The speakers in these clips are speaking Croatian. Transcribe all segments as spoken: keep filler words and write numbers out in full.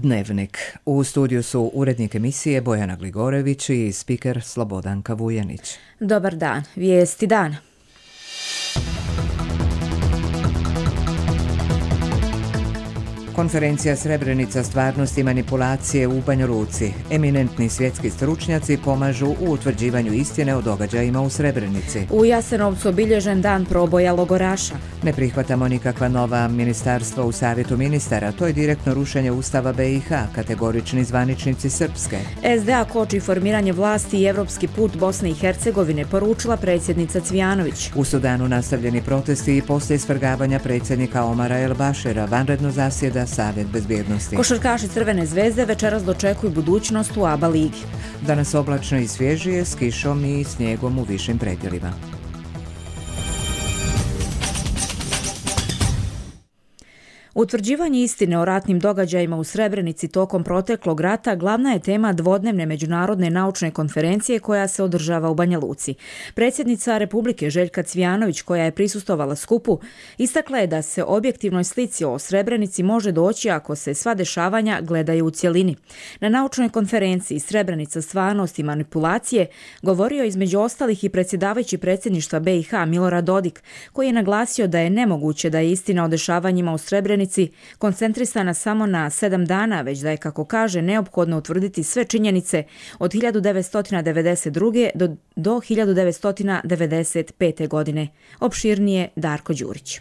Dnevnik. U studiju su urednik emisije Bojana Gligorević i spiker Slobodanka Vujanić. Dobar dan. Vijesti dana. Konferencija Srebrenica stvarnost i manipulacije u Banja Luci. Eminentni svjetski stručnjaci pomažu u utvrđivanju istine o događajima u Srebrenici. U Jasenovcu obilježen dan proboja logoraša. Ne prihvatamo nikakva nova ministarstva u Savjetu ministara. To je direktno rušenje Ustava B i H, kategorični zvaničnici Srpske. S D A koči formiranje vlasti i evropski put Bosne i Hercegovine, poručila predsjednica Cvijanović. U Sudanu nastavljeni protesti i poslije svrgavanja predsjednika Omara El Bašira vanredno zasjeda Savjet bezbjednosti. Košarkaši Crvene zvezde večeras dočekuju budućnost u A B A ligi. Danas oblačno i svježije s kišom i snijegom u višim predjelima. Utvrđivanje istine o ratnim događajima u Srebrenici tokom proteklog rata glavna je tema dvodnevne međunarodne naučne konferencije koja se održava u Banja Luci. Predsjednica Republike Željka Cvijanović, koja je prisustvovala skupu, istakla je da se objektivnoj slici o Srebrenici može doći ako se sva dešavanja gledaju u cjelini. Na naučnoj konferenciji Srebrenica stvarnost i manipulacije govorio između ostalih i predsjedavajući predsjedništva B i H Milorad Dodik, koji je naglasio da je nemoguće da je istina o dešavanjima u Srebrenici koncentrisana samo na sedam dana, već da je, kako kaže, neophodno utvrditi sve činjenice od hiljadu devetsto devedeset druge. do, do hiljadu devetsto devedeset pete. godine. Opširnije Darko Đurić.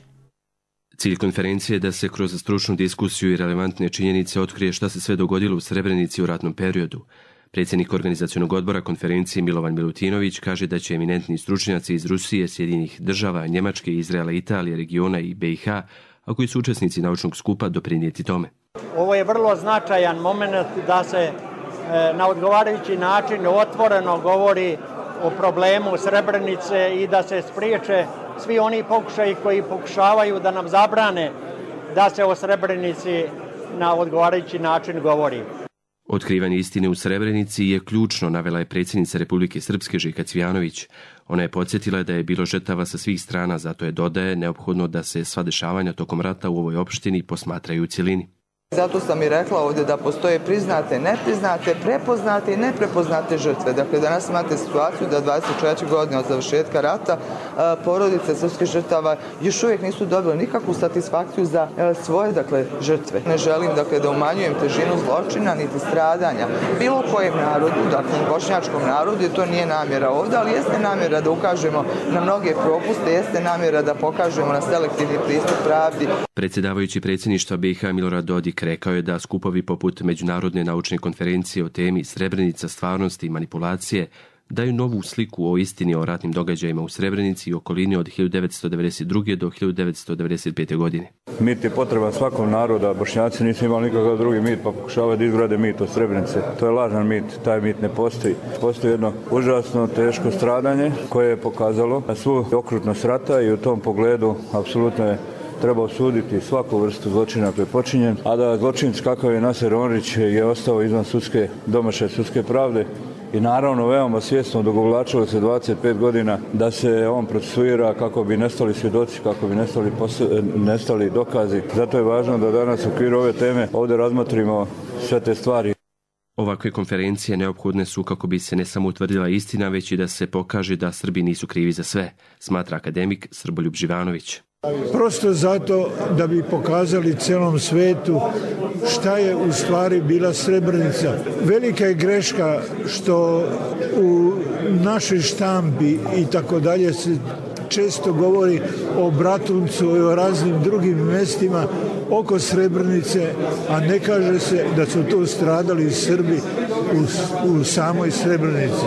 Cilj konferencije je da se kroz stručnu diskusiju i relevantne činjenice otkrije šta se sve dogodilo u Srebrenici u ratnom periodu. Predsjednik organizacionog odbora konferencije Milovan Milutinović kaže da će eminentni stručnjaci iz Rusije, Sjedinjenih država, Njemačke, Izraela, Italije, regiona i B i H, a koji su učesnici naučnog skupa, doprinijeti tome. Ovo je vrlo značajan moment da se e, na odgovarajući način otvoreno govori o problemu Srebrenice i da se spriječe svi oni pokušaji koji pokušavaju da nam zabrane da se o Srebrenici na odgovarajući način govori. Otkrivanje istine u Srebrenici je ključno, navela je predsjednica Republike Srpske Željka Cvijanović. Ona je podsjetila da je bilo žrtava sa svih strana, zato je, dodaje, neophodno da se sva dešavanja tokom rata u ovoj opštini posmatraju u cjelini. Zato sam i rekla ovdje da postoje priznate, nepriznate, prepoznate i neprepoznate žrtve. Dakle, danas imate situaciju da dvadeset četiri godine od završetka rata porodice srpskih žrtava još uvijek nisu dobile nikakvu satisfakciju za svoje, dakle, žrtve. Ne želim, dakle, da umanjujem težinu zločina niti stradanja bilo kojem narodu, dakle, bošnjačkom narodu, to nije namjera ovdje, ali jeste namjera da ukažemo na mnoge propuste, jeste namjera da pokažemo na selektivni pristup pravdi. Predsjedavajući predsjedništva B i H Milorad Dodik rekao je da skupovi poput Međunarodne naučne konferencije o temi Srebrenica stvarnosti i manipulacije daju novu sliku o istini o ratnim događajima u Srebrenici i okolini od hiljadu devetsto devedeset druge. do hiljadu devetsto devedeset pete. godine. Mit je potreban svakom naroda, Bošnjaci nisu imali nikakav drugi mit pa pokušavaju da izgrade mit o Srebrenice. To je lažan mit, taj mit ne postoji. Postoji jedno užasno teško stradanje koje je pokazalo svu okrutnost rata i u tom pogledu apsolutno je treba osuditi svaku vrstu zločina koji je počinjen, a da zločinac kakav je Naser Onrić je ostao izvan sudske, domaše sudske pravde i naravno veoma svjesno odugovlačilo se dvadeset pet godina da se on procesuira kako bi nestali svjedoci, kako bi nestali, posle, nestali dokazi. Zato je važno da danas u okviru ove teme ovdje razmotrimo sve te stvari. Ovakve konferencije neophodne su kako bi se ne samo utvrdila istina, već i da se pokaže da Srbi nisu krivi za sve, smatra akademik Srboljub Živanović. Prosto zato da bi pokazali cijelom svetu šta je u stvari bila Srebrenica. Velika je greška što u našoj štampi i tako dalje se često govori o Bratuncu i o raznim drugim mjestima oko Srebrenice, a ne kaže se da su tu stradali Srbi u, u samoj Srebrenici.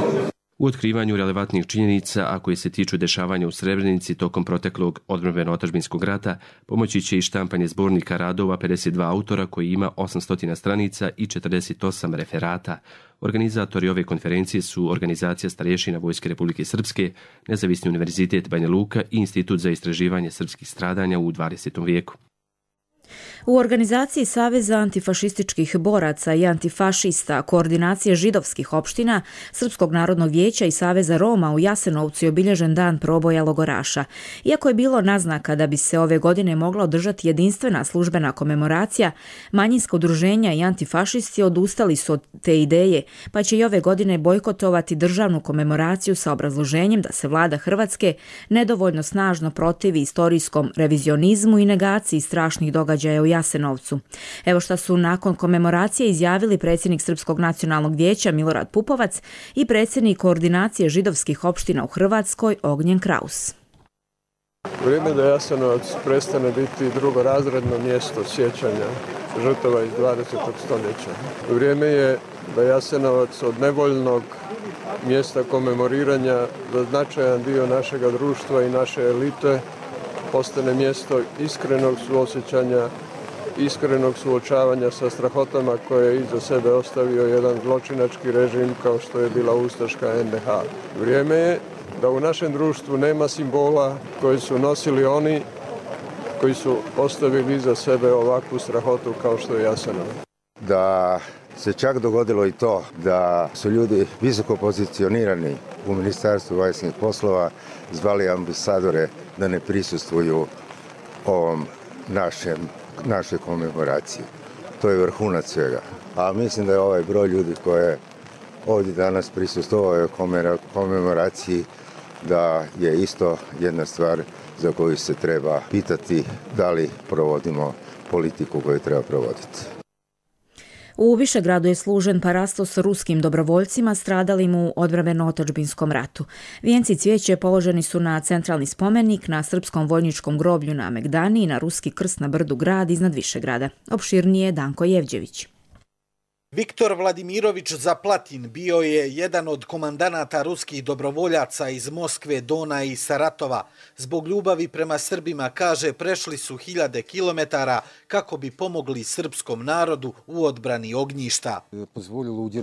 U otkrivanju relevantnih činjenica, a koje se tiču dešavanja u Srebrenici tokom proteklog odbrambeno-otadžbinskog rata, pomoći će i štampanje zbornika radova pedeset dva autora koji ima osamsto stranica i četrdeset osam referata. Organizatori ove konferencije su Organizacija starješina Vojske Republike Srpske, Nezavisni univerzitet Banja Luka i Institut za istraživanje srpskih stradanja u dvadesetom vijeku. U organizaciji Saveza antifašističkih boraca i antifašista, koordinacije židovskih opština, Srpskog narodnog vijeća i Saveza Roma u Jasenovcu je obilježen dan proboja logoraša. Iako je bilo naznaka da bi se ove godine mogla održati jedinstvena službena komemoracija, manjinska udruženja i antifašisti odustali su od te ideje, pa će i ove godine bojkotovati državnu komemoraciju sa obrazloženjem da se vlada Hrvatske nedovoljno snažno protivi istorijskom revizionizmu i negaciji strašnih događaja u Jasenovcu. Evo šta su nakon komemoracije izjavili predsjednik Srpskog nacionalnog vijeća Milorad Pupovac i predsjednik koordinacije židovskih opština u Hrvatskoj Ognjen Kraus. Vrijeme da Jasenovac prestane biti drugorazredno mjesto sjećanja žrtava iz dvadesetog stoljeća. Vrijeme je da Jasenovac od nevoljnog mjesta komemoriranja za značajan dio našega društva i naše elite postane mjesto iskrenog suosjećanja, iskrenog suočavanja sa strahotama koje je iza sebe ostavio jedan zločinački režim kao što je bila ustaška en de ha. Vrijeme je da u našem društvu nema simbola koji su nosili oni koji su ostavili iza sebe ovakvu strahotu kao što je Jasenovac. Da se čak dogodilo i to da su ljudi visoko pozicionirani u Ministarstvu vanjskih poslova zvali ambasadore da ne prisustvuju ovom našem, našoj komemoraciji. To je vrhunac svega. A mislim da je ovaj broj ljudi koji je ovdje danas prisustvovao komemoraciji da je isto jedna stvar za koju se treba pitati da li provodimo politiku koju treba provoditi. U Višegradu je služen parasto s ruskim dobrovoljcima stradalim u odbrambeno-otadžbinskom ratu. Vijenci cvijeće položeni su na centralni spomenik, na srpskom vojničkom groblju na Megdani i na ruski krst na brdu Grad iznad Višegrada. Opširnije Danko Jevđević. Viktor Vladimirović Zaplatin bio je jedan od komandanata ruskih dobrovoljaca iz Moskve, Dona i Saratova. Zbog ljubavi prema Srbima, kaže, prešli su hiljade kilometara kako bi pomogli srpskom narodu u odbrani ognjišta.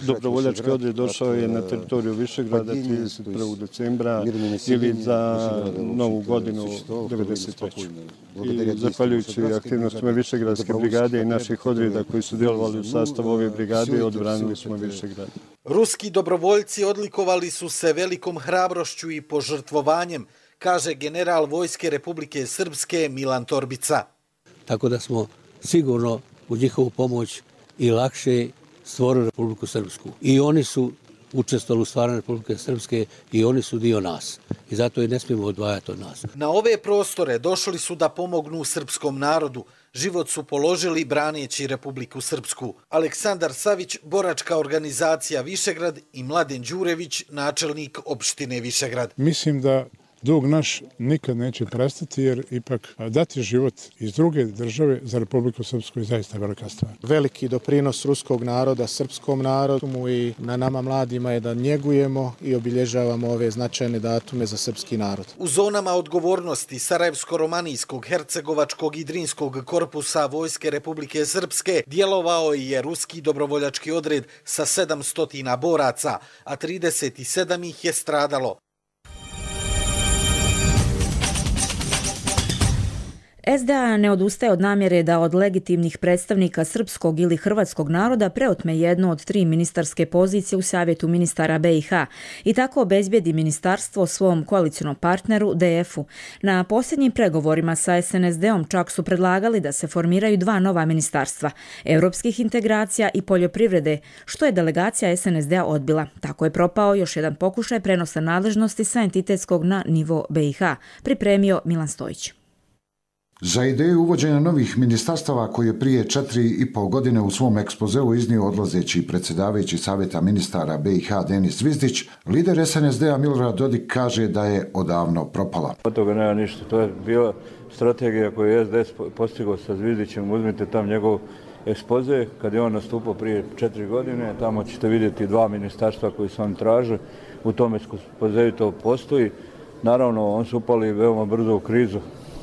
Dobrovoljački odred došao je na teritoriju Višegrada trideset prvog decembra ili za Novu godinu devedeset treće. I zahvaljujući aktivnostima Višegradske brigade i naših odreda koji su djelovali u sastavu ove brigade, odbranili smo Višegrad. Ruski dobrovoljci odlikovali su se velikom hrabrošću i požrtvovanjem, kaže general Vojske Republike Srpske Milan Torbica. Tako da smo sigurno u njihovu pomoć i lakše stvorili Republiku Srpsku. I oni su učestvovali u stvaranju Republike Srpske i oni su dio nas. I zato je ne smijemo odvajati od nas. Na ove prostore došli su da pomognu srpskom narodu. Život su položili braneći Republiku Srpsku. Aleksandar Savić, boračka organizacija Višegrad i Mladen Đurević, načelnik opštine Višegrad. Mislim da dug naš nikad neće prestati, jer ipak dati život iz druge države za Republiku Srpsku je zaista velika stvar. Veliki doprinos ruskog naroda srpskom narodu i na nama mladima je da njegujemo i obilježavamo ove značajne datume za srpski narod. U zonama odgovornosti Sarajevsko-romanijskog, Hercegovačkog i Drinskog korpusa Vojske Republike Srpske djelovao je ruski dobrovoljački odred sa sedamsto boraca, a trideset sedam ih je stradalo. es de a ne odustaje od namjere da od legitimnih predstavnika srpskog ili hrvatskog naroda preotme jednu od tri ministarske pozicije u Savjetu ministara be i ha i tako obezbijedi ministarstvo svom koalicionom partneru de efu. Na posljednjim pregovorima sa es en es de-om čak su predlagali da se formiraju dva nova ministarstva, europskih integracija i poljoprivrede, što je delegacija es en es de-a odbila. Tako je propao još jedan pokušaj prenosa nadležnosti sa entitetskog na nivo be i ha, pripremio Milan Stojić. Za ideju uvođenja novih ministarstava koje je prije četiri i pol godine u svom ekspozeu iznio odlazeći predsjedavajući Savjeta ministara be i ha Denis Zvizdić, lider es en es de-a Milorad Dodik kaže da je odavno propala. Od toga nema ništa, to je bila strategija koju je es de es postigao sa Zvizdićem, uzmite tam njegov ekspoze, kad je on nastupao prije četiri godine, tamo ćete vidjeti dva ministarstva koji su on traže, u tom ekspozeju to postoji. Naravno, on su upali veoma brzo u krizu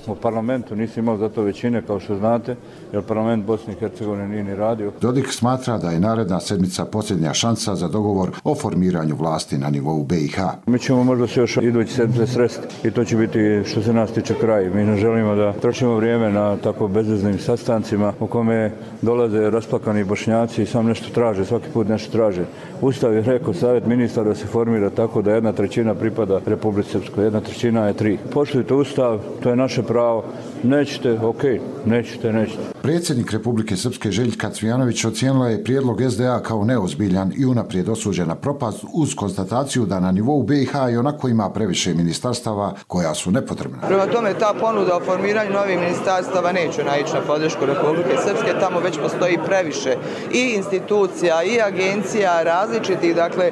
U parlamentu nisi imao zato većine, kao što znate, jer parlament Bosne i Hercegovine nije ni radio. Dodik smatra da je naredna sedmica posljednja šansa za dogovor o formiranju vlasti na nivou B i H. Mi ćemo možda se još idući sedmice sresti i to će biti što se nas tiče kraj. Mi ne želimo da trošimo vrijeme na tako bezveznim sastancima u kome dolaze rasplakani Bošnjaci i sam nešto traže, svaki put nešto traže. Ustav je rekao, savjet ministara se formira tako da jedna trećina pripada Republici Srpskoj, jedna trećina je tri. Poštujte Ustav, to je naše pravo. Nećete, ok, nećete, nećete. Predsjednik Republike Srpske Željka Cvijanović ocijenila je prijedlog S D A kao neozbiljan i unaprijed osuđena propast uz konstataciju da na nivou B i H i onako ima previše ministarstava koja su nepotrebna. Prema tome, ta ponuda o formiranju novih ministarstava neće naići na podršku Republike Srpske, tamo već postoji previše i institucija i agencija različitih, dakle,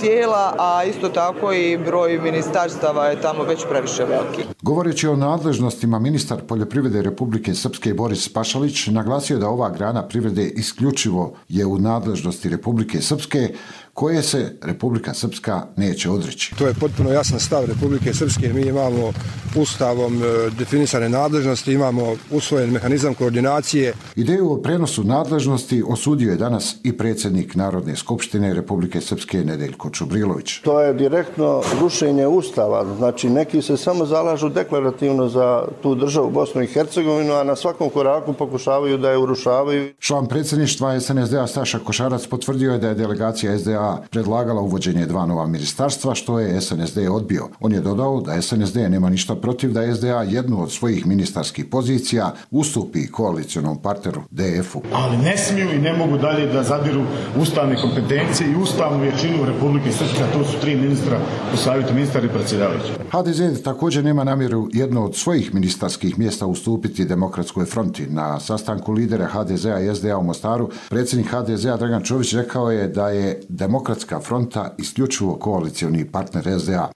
tijela, a isto tako i broj ministarstava je tamo već previše veliki. Govoreći o nadležnostima, ministar poljoprivrede Republike Srpske Boris Pašalić naglasio da ova grana privrede isključivo je u nadležnosti Republike Srpske, koje se Republika Srpska neće odreći. To je potpuno jasan stav Republike Srpske. Mi imamo ustavom definisane nadležnosti, imamo usvojen mehanizam koordinacije. Ideju o prenosu nadležnosti osudio je danas i predsjednik Narodne skupštine Republike Srpske Nedeljko Čubrilović. To je direktno rušenje ustava. Znači, neki se samo zalažu deklarativno za tu državu Bosnu i Hercegovinu, a na svakom koraku pokušavaju da je urušavaju. Član predsjedništva S N S D A Staša Košarac potvrdio je da je delegacija S D A predlagala uvođenje dva nova ministarstva, što je S N S D odbio. On je dodao da S N S D nema ništa protiv da S D A jednu od svojih ministarskih pozicija ustupi koalicionom partneru D F-u. Ali ne smiju i ne mogu dalje da zadiru ustavne kompetencije i ustavnu većinu Republike Srpske, a to su tri ministra u savjetu, ministar i predsjedavajući. H D Z također nema namjeru jedno od svojih ministarskih mjesta ustupiti Demokratskoj fronti. Na sastanku lidera H D Z-a i S D A u Mostaru predsjednik H D Z-a Dragan Čović rekao je da je Demokratska fronta isključivo koalicioni partner S D A.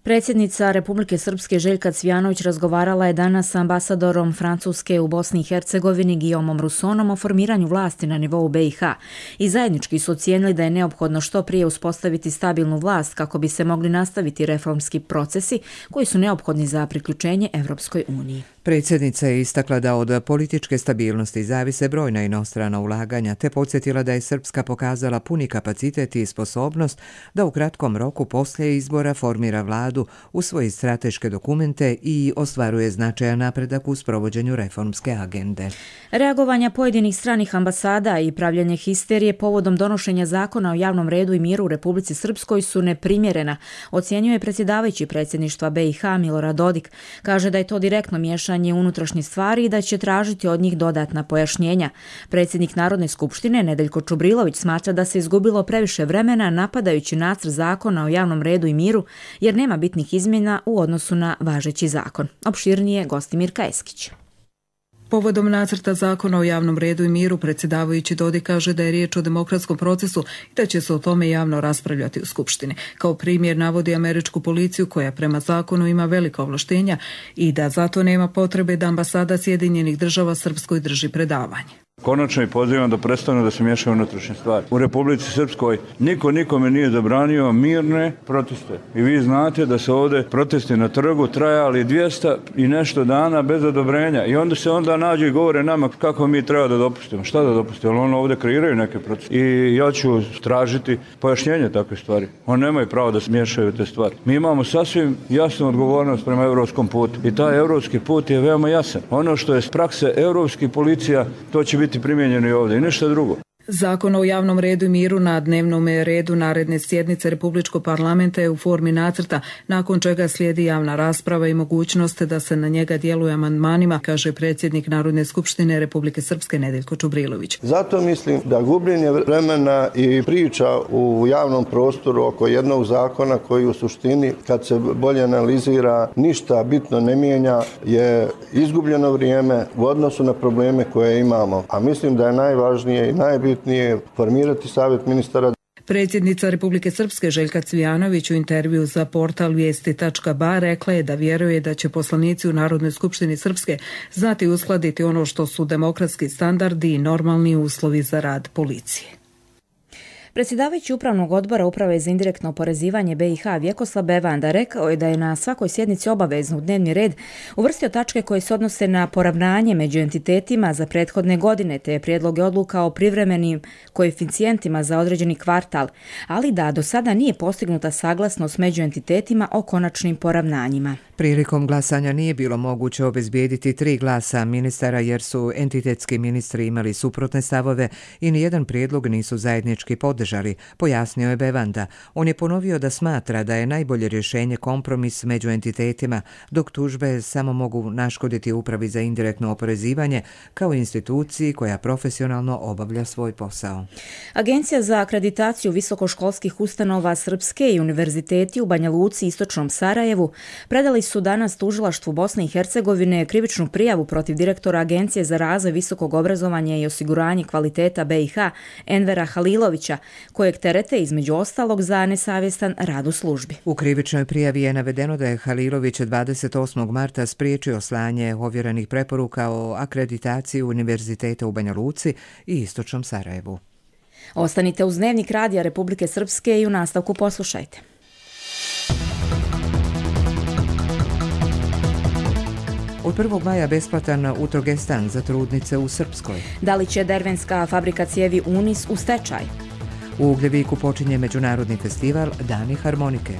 Predsjednica Republike Srpske Željka Cvijanović razgovarala je danas sa ambasadorom Francuske u Bosni i Hercegovini Guillaumom Roussonom o formiranju vlasti na nivou B i H i zajednički su ocijenili da je neophodno što prije uspostaviti stabilnu vlast kako bi se mogli nastaviti reformski procesi koji su neophodni za priključenje Evropskoj uniji. Predsjednica je istakla da od političke stabilnosti zavise brojna inostrana ulaganja, te podsjetila da je Srpska pokazala puni kapacitet i sposobnost da u kratkom roku poslije izbora formira vladu, usvoji strateške dokumente i ostvaruje značajan napredak u sprovođenju reformske agende. Reagovanja pojedinih stranih ambasada i pravljanje histerije povodom donošenja zakona o javnom redu i miru u Republici Srpskoj su neprimjerena, ocjenjuje predsjedavajući predsjedništva B i H Milorad Dodik. Kaže da je to direktno miješanje unutrašnje stvari i da će tražiti od njih dodatna pojašnjenja. Predsjednik Narodne skupštine Nedeljko Čubrilović smatra da se izgubilo previše vremena napadajući nacrt zakona o javnom redu i miru jer nema bitnih izmjena u odnosu na važeći zakon. Opširnije Gostimir Kajeskić. Povodom nacrta zakona o javnom redu i miru, predsjedavajući Dodik kaže da je riječ o demokratskom procesu i da će se o tome javno raspravljati u Skupštini. Kao primjer navodi američku policiju koja prema zakonu ima velika ovlaštenja i da zato nema potrebe da ambasada Sjedinjenih država Srpskoj drži predavanje. Konačno i pozivam da prestanu da se miješaju unutrašnje stvari. U Republici Srpskoj niko nikome nije zabranio mirne proteste. I vi znate da se ovdje protesti na trgu trajali dvjesto i nešto dana bez odobrenja. I onda se onda nađu i govore nama kako mi treba da dopustimo. Šta da dopustimo? Ali ono ovdje kreiraju neke proteste. I ja ću tražiti pojašnjenje takve stvari. Oni nemaju pravo da se miješaju te stvari. Mi imamo sasvim jasnu odgovornost prema evropskom putu. I taj evropski put je veoma jasan. Ono što je s prakse evropskih policija, to će biti primijenjeno i ovdje i ništa drugo. Zakon o javnom redu i miru na dnevnom redu naredne sjednice Republičkog parlamenta je u formi nacrta, nakon čega slijedi javna rasprava i mogućnost da se na njega djeluje amandmanima, kaže predsjednik Narodne skupštine Republike Srpske Nedeljko Čubrilović. Zato mislim da gubljenje vremena i priča u javnom prostoru oko jednog zakona koji u suštini, kad se bolje analizira, ništa bitno ne mijenja, je izgubljeno vrijeme u odnosu na probleme koje imamo. A mislim da je najvažnije i najbitnije nije formirati savjet ministara. Predsjednica Republike Srpske Željka Cvijanović u intervju za portal vijesti tačka ba rekla je da vjeruje da će poslanici u Narodnoj skupštini Srpske znati uskladiti ono što su demokratski standardi i normalni uslovi za rad policije. Predsjedavajući Upravnog odbora Uprave za indirektno oporezivanje B i H Vjekoslav Bevanda rekao je da je na svakoj sjednici obavezno u dnevni red uvrstio tačke koje se odnose na poravnanje među entitetima za prethodne godine te prijedloge odluka o privremenim koeficijentima za određeni kvartal, ali da do sada nije postignuta saglasnost među entitetima o konačnim poravnanjima. Prilikom glasanja nije bilo moguće obezbijediti tri glasa ministara jer su entitetski ministri imali suprotne stavove i nijedan prijedlog nisu zajednički podržali, pojasnio je Bevanda. On je ponovio da smatra da je najbolje rješenje kompromis među entitetima, dok tužbe samo mogu naškoditi Upravi za indirektno oporezivanje kao instituciji koja profesionalno obavlja svoj posao. Agencija za akreditaciju visokoškolskih ustanova Srpske i univerziteti u Banja Luci i Istočnom Sarajevu predali su danas tužilaštvu Bosne i Hercegovine krivičnu prijavu protiv direktora Agencije za razvoj visokog obrazovanja i osiguranje kvaliteta B i H Envera Halilovića, kojeg terete između ostalog za nesavjestan rad u službi. U krivičnoj prijavi je navedeno da je Halilović dvadeset osmog marta spriječio slanje ovjerenih preporuka o akreditaciji univerziteta u Banja Luci i Istočnom Sarajevu. Ostanite uz Dnevnik Radija Republike Srpske i u nastavku poslušajte. Od prvog maja besplatan utrogestan za trudnice u Srpskoj. Da li će dervenska fabrika cijevi Unis u stečaj? U Ugljeviku počinje međunarodni festival Dani harmonike.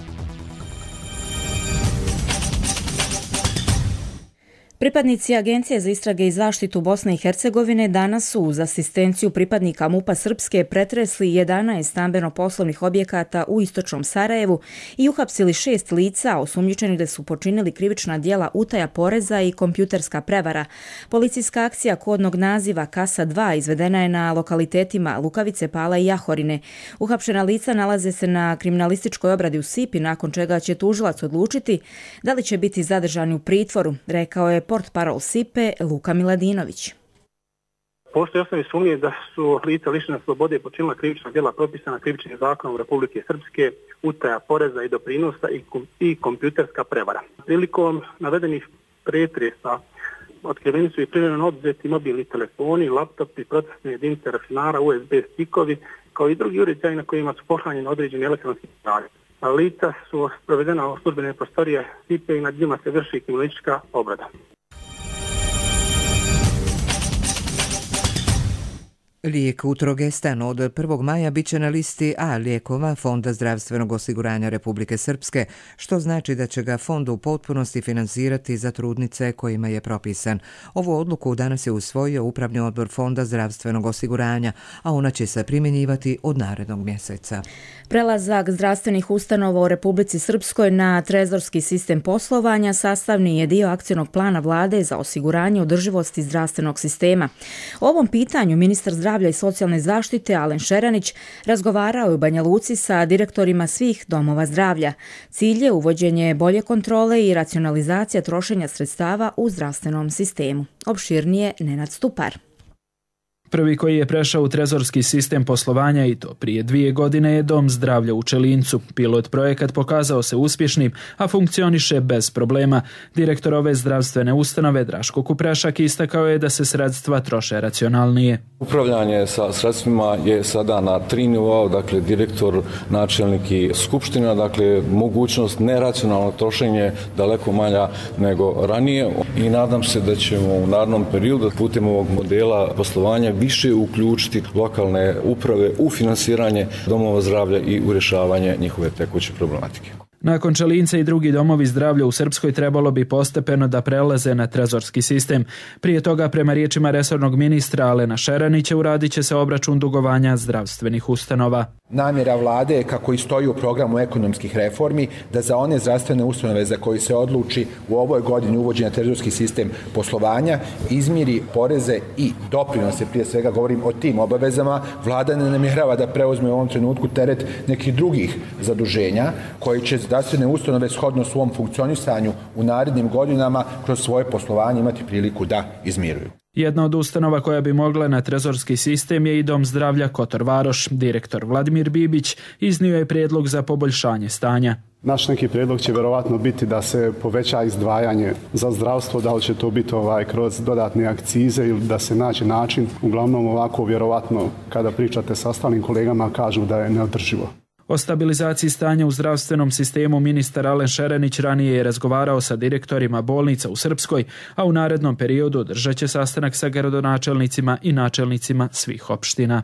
Pripadnici Agencije za istrage i zaštitu Bosne i Hercegovine danas su uz asistenciju pripadnika MUP-a Srpske pretresli jedanaest stambeno-poslovnih objekata u Istočnom Sarajevu i uhapsili šest lica osumnjičenih da su počinili krivična djela utaja poreza i kompjuterska prevara. Policijska akcija kodnog naziva Kasa dva izvedena je na lokalitetima Lukavice, Pala i Jahorine. Uhapšena lica nalaze se na kriminalističkoj obradi u Sipi, nakon čega će tužilac odlučiti da li će biti zadržani u pritvoru, rekao je portparol Sipe Luka Miladinović. Postoje osnovne sumnje da su lica lišena slobode počinila krivična djela propisana krivičnim zakonom Republike Srpske, utaja poreza i doprinosa i, kom, i kompjuterska prevara. Prilikom navedenih pretresa otkriveni su i privremeno oduzeti mobilni telefoni, laptopi, procesne jedinice računara, U S B stikovi, kao i drugi uređaji na kojima su pohranjeni određeni elektronski podaci. Lica su provedena u službene prostorije Sipe i nad njima se vrši kriminalistička obrada. Lijek Utrogestan od prvog maja bit će na listi A lijekova Fonda zdravstvenog osiguranja Republike Srpske, što znači da će ga fond u potpunosti finansirati za trudnice kojima je propisan. Ovu odluku danas je usvojio Upravni odbor Fonda zdravstvenog osiguranja, a ona će se primjenjivati od narednog mjeseca. Prelazak zdravstvenih ustanova u Republici Srpskoj na trezorski sistem poslovanja sastavni je dio akcionog plana vlade za osiguranje održivosti zdravstvenog sistema. O ovom pitanju ministar zdravlja i socijalne zaštite Alen Šeranić razgovarao je u Banja Luci sa direktorima svih domova zdravlja. Cilj je uvođenje bolje kontrole i racionalizacija trošenja sredstava u zdravstvenom sistemu. Opširnije Nenad Stupar. Prvi koji je prešao u trezorski sistem poslovanja i to prije dvije godine je Dom zdravlja u Čelincu. Pilot projekat pokazao se uspješnim, a funkcioniše bez problema. Direktor ove zdravstvene ustanove Draško Kuprešak istakao je da se sredstva troše racionalnije. Upravljanje sa sredstvima je sada na tri nivoa, dakle direktor, načelnik i skupština, dakle mogućnost neracionalnog trošenja daleko manja nego ranije i nadam se da ćemo u narednom periodu putem ovog modela poslovanja više uključiti lokalne uprave u finansiranje domova zdravlja i u rješavanje njihove tekuće problematike. Nakon Čelinca i drugi domovi zdravlja u Srpskoj trebalo bi postepeno da prelaze na trezorski sistem. Prije toga, prema riječima resornog ministra Alena Šeranića, uradit će se obračun dugovanja zdravstvenih ustanova. Namjera vlade je, kako i stoji u programu ekonomskih reformi, da za one zdravstvene ustanove za koje se odluči u ovoj godini uvođenja trezorski sistem poslovanja izmiri poreze i doprinose, prije svega govorim o tim obavezama. Vlada ne namjerava da preuzme u ovom trenutku teret nekih drugih zaduženja koji će zdravstvene ustanove shodno svom funkcionisanju u narednim godinama kroz svoje poslovanje imati priliku da izmiruju. Jedna od ustanova koja bi mogla na trezorski sistem je i Dom zdravlja Kotor Varoš. Direktor Vladimir Bibić iznio je prijedlog za poboljšanje stanja. Naš neki prijedlog će vjerovatno biti da se poveća izdvajanje za zdravstvo, da li će to biti ovaj, kroz dodatne akcize ili da se nađe način. Uglavnom ovako vjerovatno kada pričate sa ostalim kolegama kažu da je neodrživo. O stabilizaciji stanja u zdravstvenom sistemu ministar Alen Šerenić ranije je razgovarao sa direktorima bolnica u Srpskoj, a u narednom periodu održat će sastanak sa gradonačelnicima i načelnicima svih opština.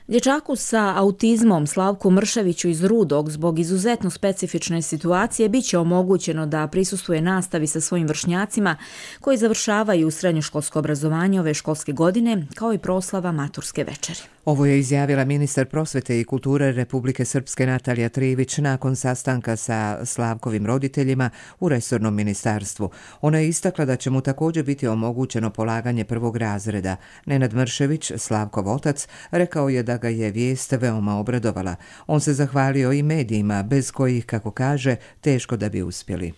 Dječaku sa autizmom Slavku Mrševiću iz Rudog zbog izuzetno specifične situacije bit će omogućeno da prisustvuje nastavi sa svojim vršnjacima koji završavaju srednjoškolsko obrazovanje ove školske godine, kao i proslava maturske večeri. Ovo je izjavila ministar prosvete i kulture Republike Srpske Natalija Trivić nakon sastanka sa Slavkovim roditeljima u resornom ministarstvu. Ona je istakla da će mu također biti omogućeno polaganje prvog razreda. Nenad Mršević, Slavkov otac, rekao je da ga je vijest veoma obradovala. On se zahvalio i medijima, bez kojih, kako kaže, teško da bi uspjeli.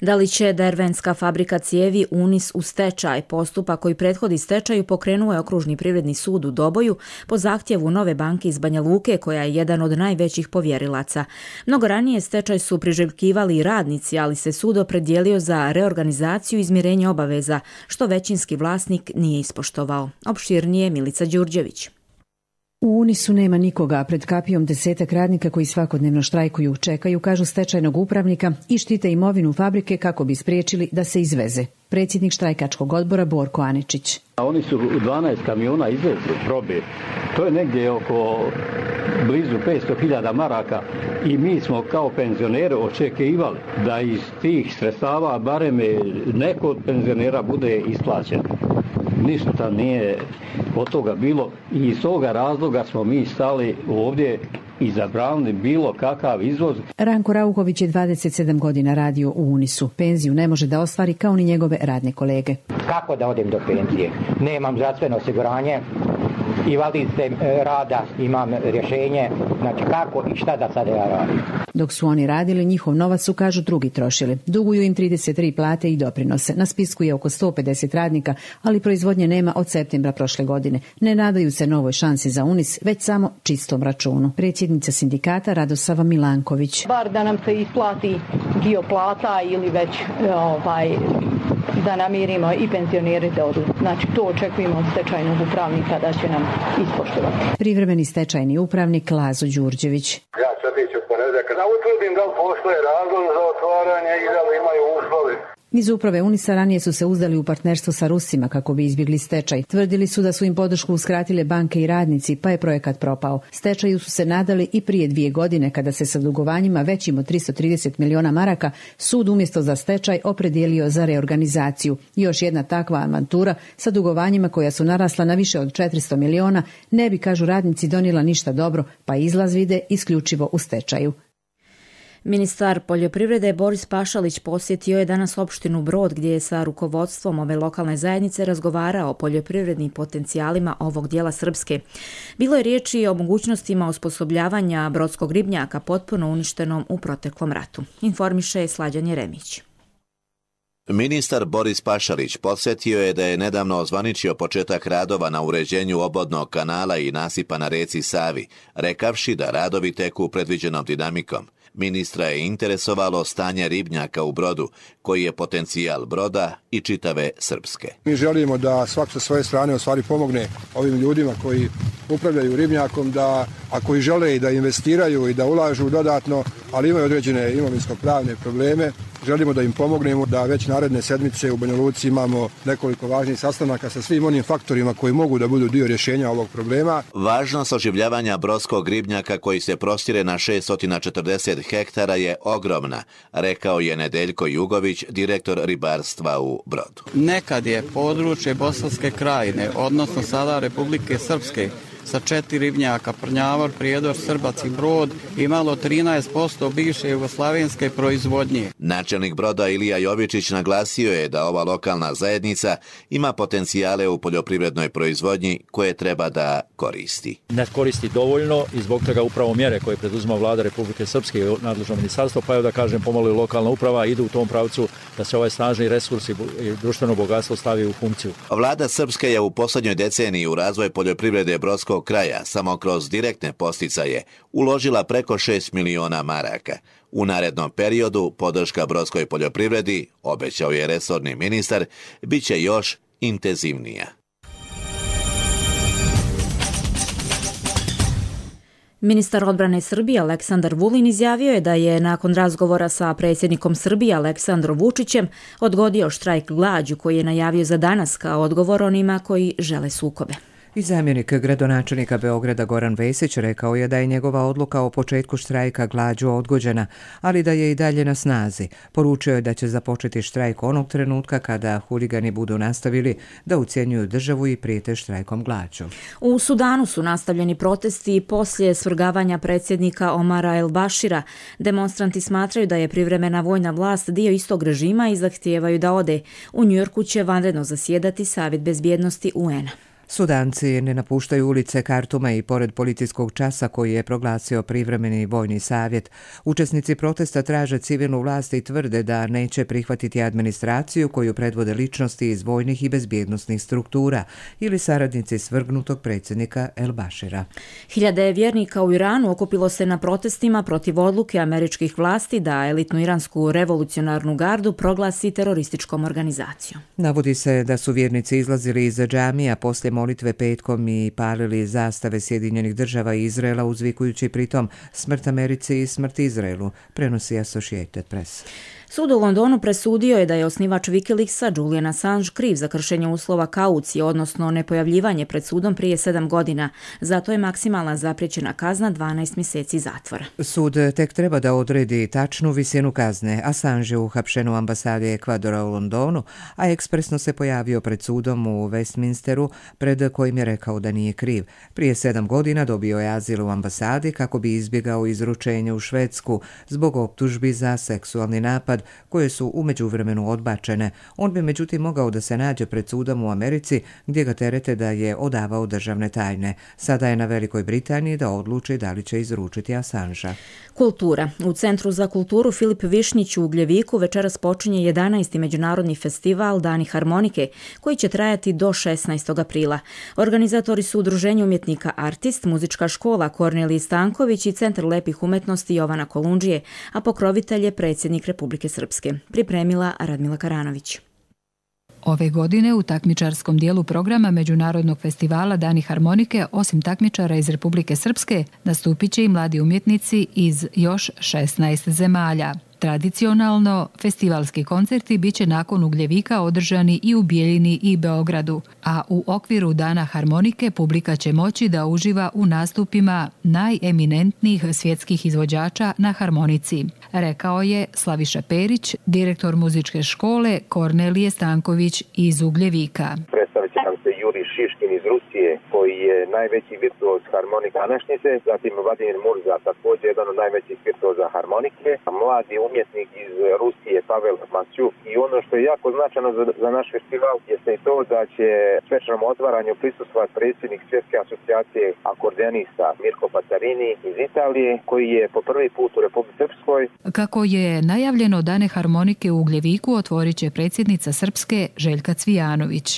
Da li će Dervenska fabrika cijevi Unis u stečaj? Postupak koji prethodi stečaju pokrenuo je Okružni privredni sud u Doboju po zahtjevu Nove banke iz Banja Luke, koja je jedan od najvećih povjerilaca. Mnogo ranije stečaj su priželjkivali i radnici, ali se sud opredijelio za reorganizaciju i izmirenje obaveza, što većinski vlasnik nije ispoštovao. Opširnije Milica Đurđević. U Unisu nema nikoga, pred kapijom desetak radnika koji svakodnevno štrajkuju, čekaju, kažu stečajnog upravnika, i štite imovinu fabrike kako bi spriječili da se izveze. Predsjednik štrajkačkog odbora Borko Aničić. A oni su u dvanaest kamiona izvezli probe. To je negdje oko blizu petsto hiljada maraka i mi smo kao penzioneri očekivali da iz tih sredstava barem neko od penzionera bude isplaćen. Ništa nije od toga bilo i iz toga razloga smo mi stali ovdje i zabranili bilo kakav izvoz. Ranko Rauković je dvadeset sedam godina radio u Unisu. Penziju ne može da ostvari kao ni njegove radne kolege. Kako da odem do penzije? Nemam zdravstveno osiguranje, invalidske rada, imam rješenje, znači kako i šta da sada ja radim. Dok su oni radili, njihov novac su, kažu, drugi trošili. Duguju im trideset tri plate i doprinose. Na spisku je oko sto pedeset radnika, ali proizvodnje nema od septembra prošle godine. Ne nadaju se novoj šansi za Unis, već samo čistom računu. Predsjednica sindikata Radosava Milanković. Bar da nam se isplati dio plata ili već ovaj, da namirimo i penzioneri da odu. Znači to očekujemo od stečajnog upravnika da će nam ispoštovati. Privremeni stečajni upravnik Lazo Đurđević. Ja sad iću ponedjeljak da utvrdim da li postoje razlog za otvaranje i da li imaju uslove. Iz uprave Unisa ranije su se uzdali u partnerstvo sa Rusima kako bi izbjegli stečaj. Tvrdili su da su im podršku uskratile banke i radnici, pa je projekat propao. Stečaju su se nadali i prije dvije godine kada se sa dugovanjima većim od tristo trideset miliona maraka sud umjesto za stečaj opredijelio za reorganizaciju. Još jedna takva avantura sa dugovanjima koja su narasla na više od četiristo miliona ne bi, kažu radnici, donijela ništa dobro, pa izlaz vide isključivo u stečaju. Ministar poljoprivrede Boris Pašalić posjetio je danas opštinu Brod, gdje je sa rukovodstvom ove lokalne zajednice razgovarao o poljoprivrednim potencijalima ovog dijela Srpske. Bilo je riječi o mogućnostima osposobljavanja brodskog ribnjaka potpuno uništenom u proteklom ratu. Informiše Slađan Jeremić. Ministar Boris Pašalić podsjetio je da je nedavno ozvaničio početak radova na uređenju obodnog kanala i nasipa na reci Savi, rekavši da radovi teku predviđenom dinamikom. Ministra je interesovalo stanje ribnjaka u Brodu, koji je potencijal Broda i čitave Srpske. Mi želimo da svak sa svoje strane ostvari pomogne ovim ljudima koji upravljaju ribnjakom, da ako i žele i da investiraju i da ulažu dodatno, ali imaju određene imovinsko-pravne probleme, želimo da im pomognemo, da već naredne sedmice u Banja Luci imamo nekoliko važnih sastanaka sa svim onim faktorima koji mogu da budu dio rješenja ovog problema. Važnost oživljavanja brodskog ribnjaka koji se prostire na šeststo četrdeset hektara je ogromna, rekao je Nedeljko Jugović, direktor ribarstva u Brodu. Nekad je područje Bosanske krajine, odnosno sada Republike Srpske, sa četiri ribnjaka, Prnjavor, Prijedor, Srbac i Brod, imalo trinaest posto bivše jugoslavenske proizvodnje. Načelnik Broda Ilija Jovičić naglasio je da ova lokalna zajednica ima potencijale u poljoprivrednoj proizvodnji koje treba da koristi. Ne koristi dovoljno i zbog toga upravo mjere koje preduzima Vlada Republike Srpske i nadležno ministarstvo, pa evo da kažem pomalo i lokalna uprava, idu u tom pravcu da se ovaj snažni resurs i društveno bogatstvo stavi u funkciju. Vlada Srpske je u posljednjoj deceniji u razvoj poljoprivrede Brodskog kraja samo kroz direktne posticaje uložila preko šest miliona maraka. U narednom periodu podrška brodskoj poljoprivredi, obećao je resorni ministar, bit će još intenzivnija. Ministar odbrane Srbije Aleksandar Vulin izjavio je da je nakon razgovora sa predsjednikom Srbije Aleksandrom Vučićem odgodio štrajk glađu koji je najavio za danas kao odgovor onima koji žele sukobe. I zamjenik gradonačelnika Beograda Goran Vesić rekao je da je njegova odluka o početku štrajka glađu odgođena, ali da je i dalje na snazi. Poručio je da će započeti štrajk onog trenutka kada huligani budu nastavili da ucjenjuju državu i prijete štrajkom glađu. U Sudanu su nastavljeni protesti poslije svrgavanja predsjednika Omara El Bašira. Demonstranti smatraju da je privremena vojna vlast dio istog režima i zahtijevaju da ode. U Njujorku će vanredno zasjedati Savjet bezbjednosti U N-a. Sudanci ne napuštaju ulice Kartuma i pored policijskog časa koji je proglasio privremeni vojni savjet. Učesnici protesta traže civilnu vlast i tvrde da neće prihvatiti administraciju koju predvode ličnosti iz vojnih i bezbjednosnih struktura ili saradnici svrgnutog predsjednika El Bašira. Hiljade vjernika u Iranu okupilo se na protestima protiv odluke američkih vlasti da elitnu iransku revolucionarnu gardu proglasi terorističkom organizacijom. Navodi se da su vjernici izlazili iz džamija poslije molitve petkom i palili zastave Sjedinjenih država i Izraela uzvikujući pritom smrt Americi i smrt Izraelu, prenosi Associated Press. Sud u Londonu presudio je da je osnivač Wikileaksa Julian Assange kriv za kršenje uslova kaucije, odnosno nepojavljivanje pred sudom prije sedam godina. Zato je maksimalna zapriječena kazna dvanaest mjeseci zatvora. Sud tek treba da odredi tačnu visinu kazne. Assange je uhapšen u ambasadi Ekvadora u Londonu, a ekspresno se pojavio pred sudom u Westminsteru, pred kojim je rekao da nije kriv. Prije sedam godina dobio je azil u ambasadi kako bi izbjegao izručenje u Švedsku zbog optužbi za seksualni napad koje su u međuvremenu odbačene. On bi međutim mogao da se nađe pred sudom u Americi gdje ga terete da je odavao državne tajne. Sada je na Velikoj Britaniji da odluči da li će izručiti Assangea. Kultura. U Centru za kulturu Filip Višnjić u Ugljeviku večeras počinje jedanaesti međunarodni festival Dani harmonike koji će trajati do šesnaestog aprila. Organizatori su Udruženje umjetnika Artist, muzička škola Kornelije Stanković i Centar lepih umetnosti Jovana Kolundžije, a pokrovitelj je predsjednik Republike Srpske. Pripremila Radmila Karanović. Ove godine u takmičarskom dijelu programa Međunarodnog festivala Dani harmonike, osim takmičara iz Republike Srpske, nastupit će i mladi umjetnici iz još šesnaest zemalja. Tradicionalno, festivalski koncerti bit će nakon Ugljevika održani i u Bijeljini i Beogradu, a u okviru Dana harmonike publika će moći da uživa u nastupima najeminentnijih svjetskih izvođača na harmonici, rekao je Slaviša Perić, direktor muzičke škole Kornelije Stanković iz Ugljevika. Predstavit će nam se Juri Šiškin iz Rusije, koji je najveći virtuoz harmonika današnjice, zatim Vladimir Murza, također jedan od najvećih virtuoza harmonike, mladi umjetnik iz Rusije Pavel Masjuk. I ono što je jako značajno za, za naš festival jeste i to da će svečanom otvaranju prisustvovati predsjednik Svjetske asocijacije akordeonista Mirko Pacarini iz Italije, koji je po prvi put u Republici Srpskoj. Kako je najavljeno, Dane harmonike u Ugljeviku otvorit će predsjednica Srpske Željka Cvijanović.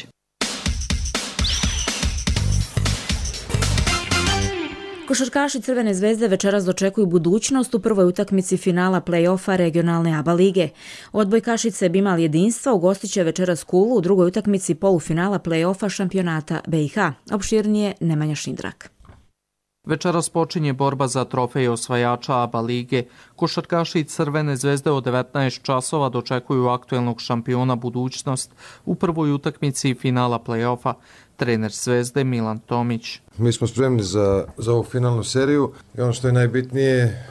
Košarkaši Crvene zvezde večeras dočekuju budućnost u prvoj utakmici finala play-offa regionalne A B A lige. Odbojkašice Bimal jedinstva ugostit će večeras Kulu u drugoj utakmici polufinala play-offa šampionata B i H. Opširnije Nemanja Šindrak. Večeras počinje borba za trofej osvajača A B A lige. Košarkaši Crvene zvezde od devetnaest časova dočekuju aktuelnog šampiona budućnost u prvoj utakmici finala play-offa. Trener Zvezde Milan Tomić. Mi smo spremni za, za ovu finalnu seriju i ono što je najbitnije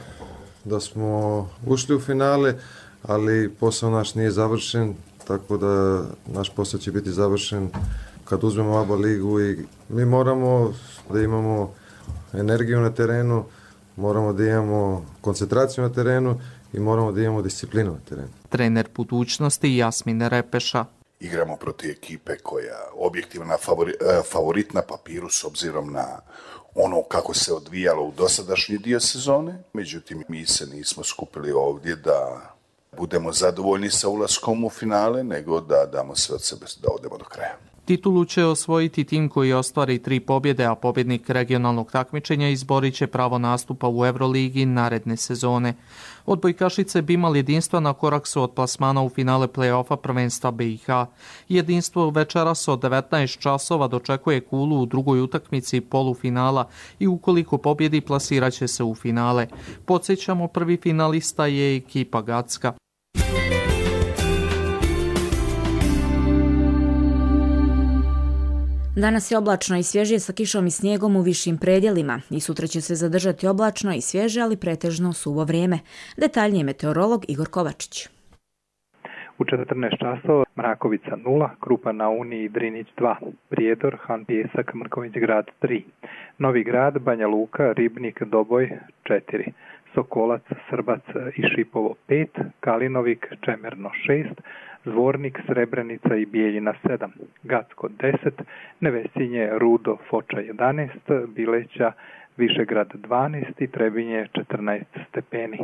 da smo ušli u finale, ali posao naš nije završen, tako da naš posao će biti završen kad uzmemo A B A ligu i mi moramo da imamo energiju na terenu, moramo da imamo koncentraciju na terenu i moramo da imamo disciplinu na terenu. Trener budućnosti Jasmin Repeša. Igramo protiv ekipe koja objektivna favori, favorit na papiru s obzirom na ono kako se odvijalo u dosadašnji dio sezone. Međutim, mi se nismo skupili ovdje da budemo zadovoljni sa ulaskom u finale, nego da damo sve od sebe da odemo do kraja. Titulu će osvojiti tim koji ostvari tri pobjede, a pobjednik regionalnog takmičenja izborit će pravo nastupa u Euroligi naredne sezone. Odbojkašice bi imali jedinstva na korak su od plasmana u finale play-offa prvenstva B i H. Jedinstvo večeras od devetnaest časova dočekuje Kulu u drugoj utakmici polufinala i ukoliko pobjedi plasirat će se u finale. Podsjećamo, prvi finalista je ekipa Gacka. Danas je oblačno i svježije sa kišom i snijegom u višim predjelima i sutra će se zadržati oblačno i svježe, ali pretežno suvo vrijeme. Detaljnije meteorolog Igor Kovačić. U četrnaest časova Mrakovica nula, Krupa na Uni i Drinić dva, Prijedor, Han Pijesak, Mrković grad tri, Novi Grad, Banja Luka, Ribnik, Doboj četiri, Sokolac, Srbac i Šipovo pet, Kalinovik, Čemerno šest, Zvornik, Srebrenica i Bijeljina sedam, Gacko deset, Nevesinje, Rudo, Foča jedanaest, Bileća, Višegrad dvanaest i Trebinje četrnaest stepeni.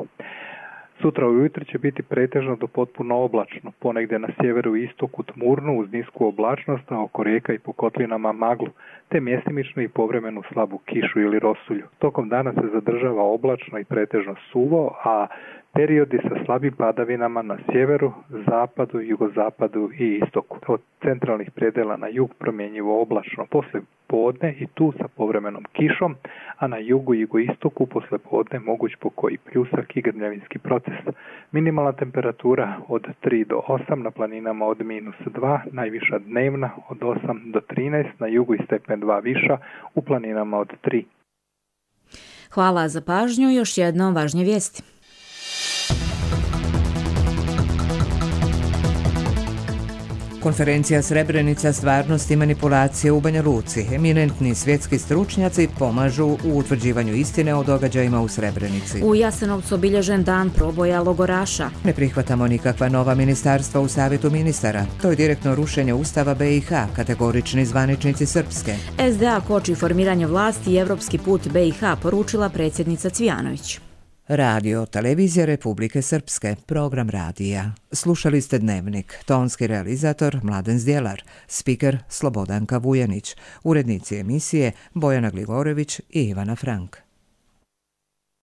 Sutra ujutro će biti pretežno do potpuno oblačno, ponegdje na sjeveru i istoku tmurnu uz nisku oblačnost, a oko rijeka i po kotlinama maglu, te mjestimično i povremenu slabu kišu ili rosulju. Tokom dana se zadržava oblačno i pretežno suvo, a periodi sa slabim padavinama na sjeveru, zapadu, jugozapadu i istoku. Od centralnih predjela na jug promjenjivo oblačno posle podne i tu sa povremenom kišom, a na jugu i jugoistoku posle podne moguć pokoji pljusak i grmljavinski proces. Minimalna temperatura od tri do osam, na planinama od minus dva, najviša dnevna od osam do trinaest, na jugu i stepen dva viša, u planinama od tri. Hvala za pažnju, još jednom važnje vijesti. Konferencija Srebrenica, stvarnost i manipulacije u Banja Luci. Eminentni svjetski stručnjaci pomažu u utvrđivanju istine o događajima u Srebrenici. U Jasenovcu obilježen dan proboja logoraša. Ne prihvatamo nikakva nova ministarstva u Savjetu ministara. To je direktno rušenje Ustava B i H, kategorični zvaničnici Srpske. S D A koči formiranje vlasti i evropski put B i H, poručila predsjednica Cvijanović. Radio, televizija Republike Srpske, program radija. Slušali ste Dnevnik, tonski realizator Mladen Zdjelar, spiker Slobodanka Vujanić, urednici emisije Bojana Gligorević i Ivana Frank.